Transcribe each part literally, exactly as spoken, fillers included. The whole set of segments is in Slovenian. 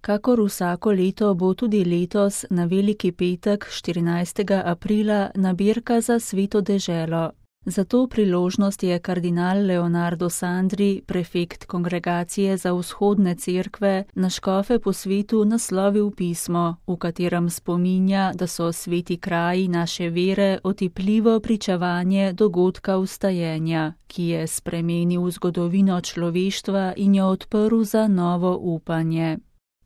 Kakor vsako leto bo tudi letos na Veliki petek štirinajstega aprila nabirka za Sveto deželo. Za to priložnost je kardinal Leonardo Sandri, prefekt Kongregacije za vzhodne cerkve, na škofe po svetu naslovil pismo, v katerem spominja, da so sveti kraji naše vere otipljivo pričevanje dogodka vstajenja, ki je spremenil zgodovino človeštva in jo odprl za novo upanje.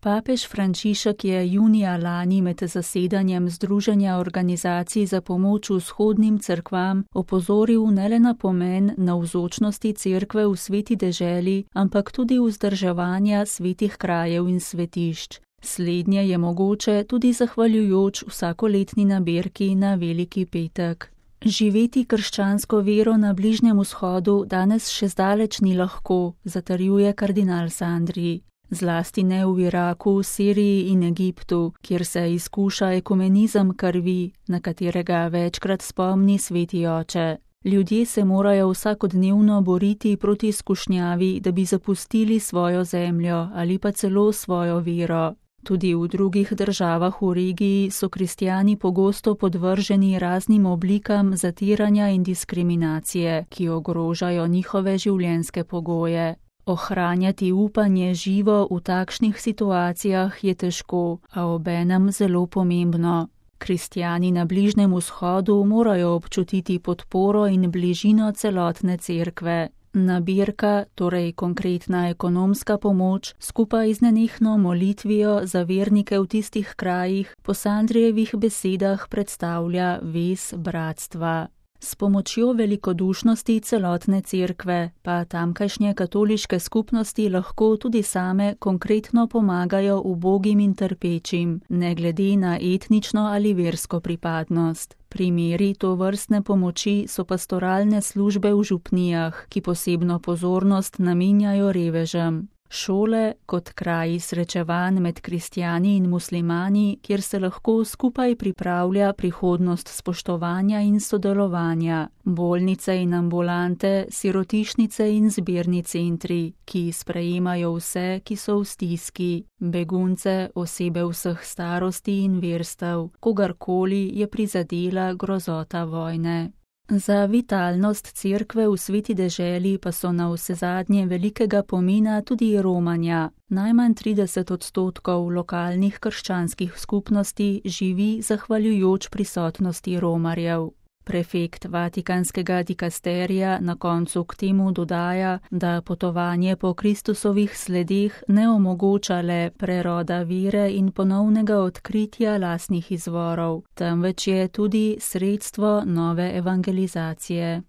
Papež Frančišek je junija lani med zasedanjem Združenja organizacij za pomoč vzhodnim cerkvam opozoril ne le na pomen navzočnosti cerkve v sveti deželi, ampak tudi vzdrževanja svetih krajev in svetišč. Slednje je mogoče tudi zahvaljujoč vsakoletni nabirki na Veliki petek. Živeti krščansko vero na Bližnjem vzhodu danes še zdaleč ni lahko, zatrjuje kardinal Sandri. Zlasti ne v Iraku, Siriji in Egiptu, kjer se izkuša ekumenizem krvi, na katerega večkrat spomni sveti oče. Ljudje se morajo vsakodnevno boriti proti skušnjavi, da bi zapustili svojo zemljo ali pa celo svojo vero. Tudi v drugih državah v regiji so kristjani pogosto podvrženi raznim oblikam zatiranja in diskriminacije, ki ogrožajo njihove življenjske pogoje. Ohranjati upanje živo v takšnih situacijah je težko, a obenem zelo pomembno. Kristjani na Bližnjem vzhodu morajo občutiti podporo in bližino celotne cerkve. Nabirka, torej konkretna ekonomska pomoč, skupaj z nenehno molitvijo za vernike v tistih krajih, po Sandrijevih besedah predstavlja vez bratstva. S pomočjo velikodušnosti celotne cerkve pa tamkajšnje katoliške skupnosti lahko tudi same konkretno pomagajo ubogim in trpečim, ne glede na etnično ali versko pripadnost. Primeri tovrstne pomoči so pastoralne službe v župnijah, ki posebno pozornost namenjajo revežem. Šole kot kraji srečevanj med kristjani in muslimani, kjer se lahko skupaj pripravlja prihodnost spoštovanja in sodelovanja. Bolnice in ambulante, sirotišnice in zbirni centri, ki sprejemajo vse, ki so v stiski. Begunce, osebe vseh starosti in verstev, kogarkoli je prizadela grozota vojne. Za vitalnost cerkve v sveti deželi pa so navsezadnje velikega pomena tudi romanja. Najmanj trideset odstotkov lokalnih krščanskih skupnosti živi zahvaljujoč prisotnosti Romarjev. Prefekt Vatikanskega dikasterija na koncu k temu dodaja, da potovanje po Kristusovih sledeh ne omogoča le preroda vere in ponovnega odkritja lastnih izvorov, temveč je tudi sredstvo nove evangelizacije.